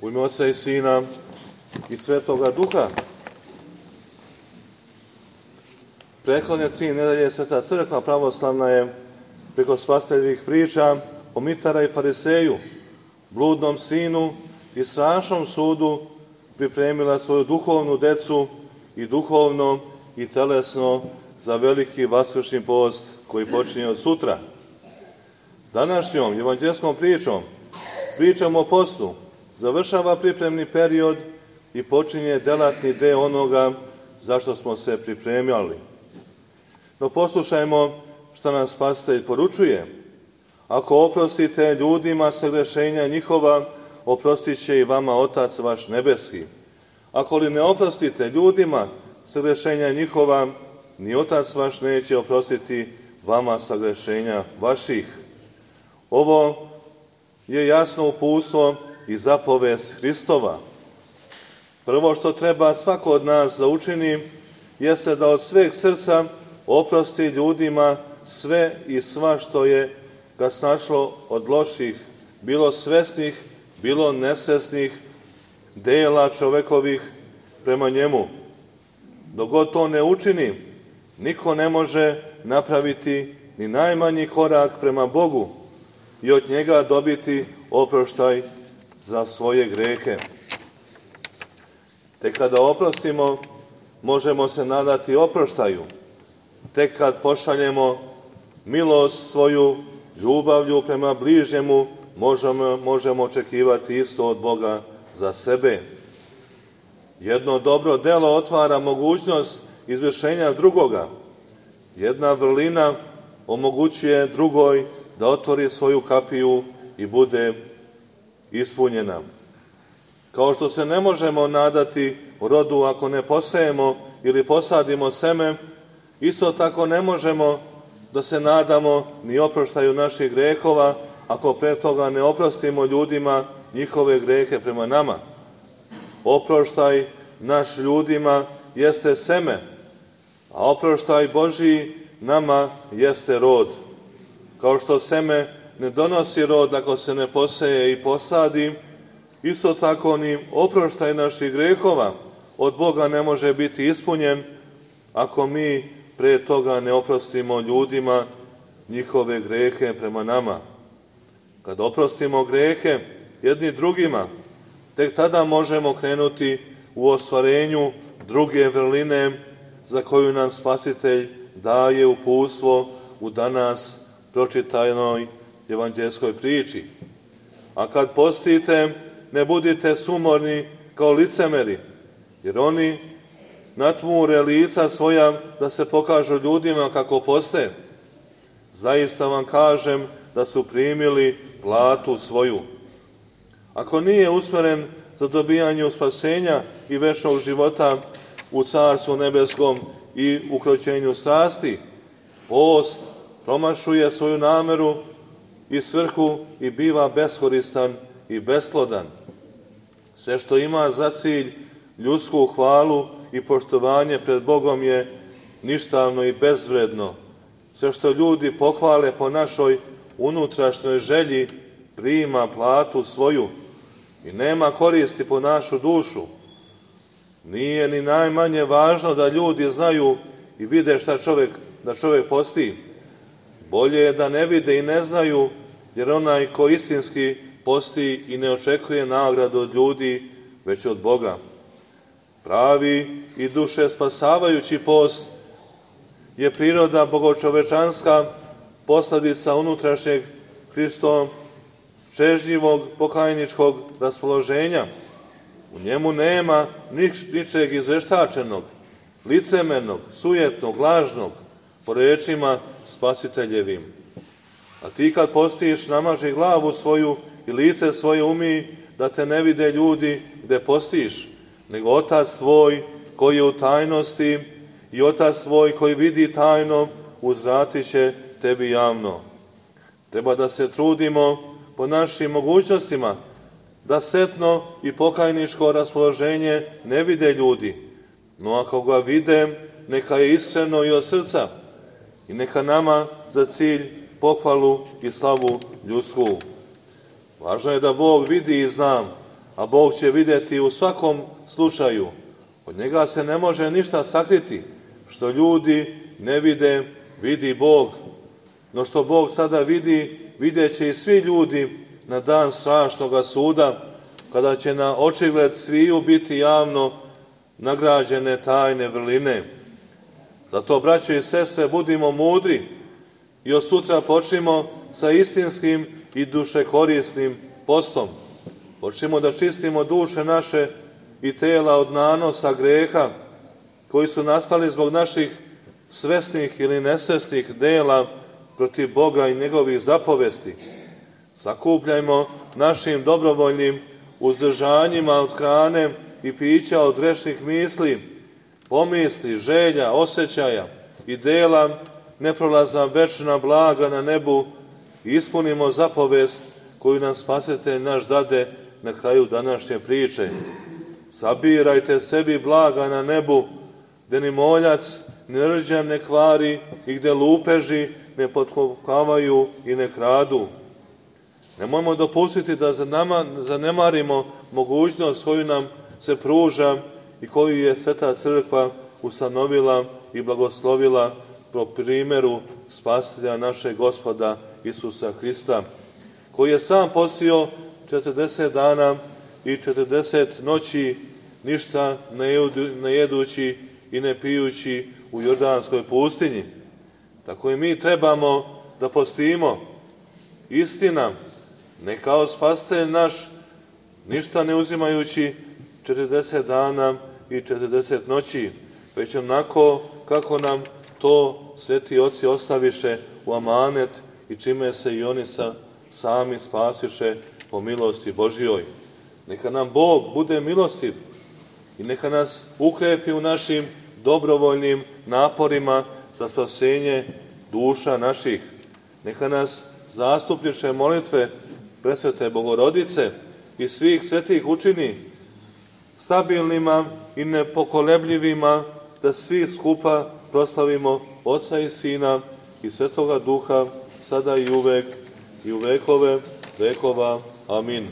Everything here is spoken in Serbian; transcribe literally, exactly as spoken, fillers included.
U ime Oca i Sina i Svetoga Duha. Prethodne tri nedelje Sveta Crkva pravoslavna je preko spasiteljevih priča o Mitara i Fariseju, bludnom sinu i strašnom sudu pripremila svoju duhovnu decu i duhovno i telesno za veliki vaskršnji post koji počinje od sutra. Današnjom evanđelskom pričom pričamo o postu, završava pripremni period i počinje delatni deo onoga za što smo se pripremali. No poslušajmo što nam Spasitelj poručuje. Ako oprostite ljudima sagrešenja njihova, oprostit će i vama Otac vaš nebeski. Ako li ne oprostite ljudima sagrešenja njihova, ni Otac vaš neće oprostiti vama sagrešenja vaših. Ovo je jasno uputstvo i zapovest Hristova. Prvo što treba svako od nas da učini, jeste da od sveg srca oprosti ljudima sve i sva što je ga snašlo od loših, bilo svesnih, bilo nesvesnih dela čovekovih prema njemu. Dok god to ne učini, niko ne može napraviti ni najmanji korak prema Bogu i od njega dobiti oproštaj za svoje grehe. Tek kada oprostimo, možemo se nadati oproštaju. Tek kad pošaljemo milost svoju, ljubavlju prema bližnjemu, možemo, možemo očekivati isto od Boga za sebe. Jedno dobro delo otvara mogućnost izvršenja drugoga. Jedna vrlina omogućuje drugoj da otvori svoju kapiju i bude ispunjena. Kao što se ne možemo nadati rodu ako ne posejemo ili posadimo seme, isto tako ne možemo da se nadamo ni oproštaju naših grehova ako pre toga ne oprostimo ljudima njihove grehe prema nama. Oproštaj naš ljudima jeste seme, a oproštaj Božiji nama jeste rod. Kao što seme ne donosi rod ako se ne poseje i posadi, isto tako ni oproštaj naših grehova od Boga ne može biti ispunjen ako mi pre toga ne oprostimo ljudima njihove grehe prema nama. Kad oprostimo grehe jedni drugima, tek tada možemo krenuti u ostvarenju druge vrline za koju nam Spasitelj daje uputstvo u danas pročitanoj evanđelskoj priči. A kad postite, ne budite sumorni kao licemeri, jer oni natmure lica svoja da se pokažu ljudima kako poste. Zaista vam kažem da su primili platu svoju. Ako nije usmeren za dobijanje spasenja i večnog života u Carstvu nebeskom i ukroćenju strasti, post promašuje svoju nameru i svrhu i biva beskoristan i besplodan. Sve što ima za cilj ljudsku hvalu i poštovanje pred Bogom je ništavno i bezvredno. Sve što ljudi pohvale po našoj unutrašnjoj želji prima platu svoju i nema koristi po našu dušu. Nije ni najmanje važno da ljudi znaju i vide šta čovjek, da čovjek posti. Bolje je da ne vide i ne znaju, jer onaj ko istinski posti i ne očekuje nagradu od ljudi, već od Boga. Pravi i duše spasavajući post je priroda bogočovečanska, posledica unutrašnjeg Hristovom čežnjivog pokajničkog raspoloženja. U njemu nema nič, ničeg izveštačenog, licemernog, sujetnog, lažnog, po rečima Spasiteljevim. A ti kad postiš, namaži glavu svoju i lice svoje umij, da te ne vide ljudi gde postiš, nego Otac tvoj koji je u tajnosti i Otac tvoj koji vidi tajno, uzvratit će tebi javno. Treba da se trudimo po našim mogućnostima, da setno i pokajničko raspoloženje ne vide ljudi, no ako ga vide, neka je iskreno i od srca i neka nama za cilj pohvalu i slavu ljudsku. Važno je da Bog vidi i zna, a Bog će vidjeti u svakom slučaju. Od njega se ne može ništa sakriti. Što ljudi ne vide, vidi Bog. No što Bog sada vidi, vidjet će i svi ljudi na dan strašnoga suda, kada će na očigled sviju biti javno nagrađene tajne vrline. Zato, braćo i sestre, budimo mudri i od sutra počnimo sa istinskim i dušekorisnim postom. Počnimo da čistimo duše naše i tela od nanosa greha koji su nastali zbog naših svesnih ili nesvesnih dela protiv Boga i njegovih zapovesti. Sakupljajmo našim dobrovoljnim uzdržanjima od hrane i pića od grešnih misli, pomisli, želja, osjećaja i dela neprolazna večna blaga na nebu i ispunimo zapovest koju nam Spasitelj naš dade na kraju današnje priče. Sabirajte sebi blaga na nebu, gde ni moljac, ni rđan ne kvari i gde lupeži ne potkopavaju i ne kradu. Nemojmo dopustiti da zanemarimo mogućnost koju nam se pruža i koju je Sveta Crkva ustanovila i blagoslovila po primjeru Spasitelja našeg Gospoda Isusa Hrista, koji je sam postio četrdeset dana i četrdeset noći, ništa ne jedući i ne pijući u Jordanskoj pustinji. Tako i mi trebamo da postimo. Istina, ne kao Spasitelj naš, ništa ne uzimajući četrdeset dana i četrdeset noći, već onako kako nam to sveti oci ostaviše u amanet i čime se i oni sa, sami spasiše po milosti Božjoj. Neka nam Bog bude milostiv i neka nas ukrepi u našim dobrovoljnim naporima za spasenje duša naših. Neka nas zastupniče molitve Presvete Bogorodice i svih svetih učini stabilnima i nepokolebljivima, da svi skupa proslavimo Oca i Sina i Svetoga Duha, sada i uvek i u vekove vekova. Amin.